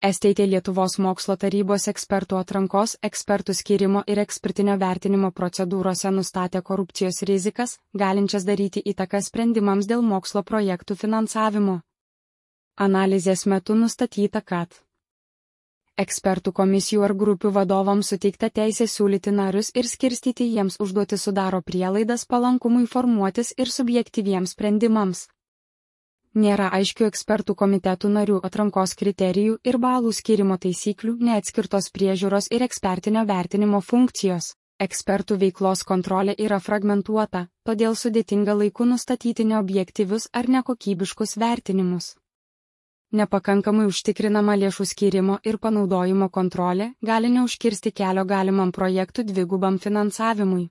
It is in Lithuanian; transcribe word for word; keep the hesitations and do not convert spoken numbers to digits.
S T T Lietuvos mokslo tarybos ekspertų atrankos, ekspertų skyrimo ir ekspertinio vertinimo procedūrose nustatė korupcijos rizikas, galinčias daryti įtaką sprendimams dėl mokslo projektų finansavimo. Analizės metu nustatyta, kad ekspertų komisijų ar grupių vadovams suteikta teisė siūlyti narius ir skirstyti jiems užduoti sudaro prielaidas palankumui formuotis ir subjektyviems sprendimams. Nėra aiškių ekspertų komitetų narių atrankos kriterijų ir balų skyrimo taisyklių, neatskirtos priežiūros ir ekspertinio vertinimo funkcijos. Ekspertų veiklos kontrolė yra fragmentuota, todėl sudėtinga laiku nustatyti neobjektyvius ar nekokybiškus vertinimus. Nepakankamai užtikrinama lėšų skyrimo ir panaudojimo kontrolė gali neužkirsti kelio galimam projektų dvigubam finansavimui.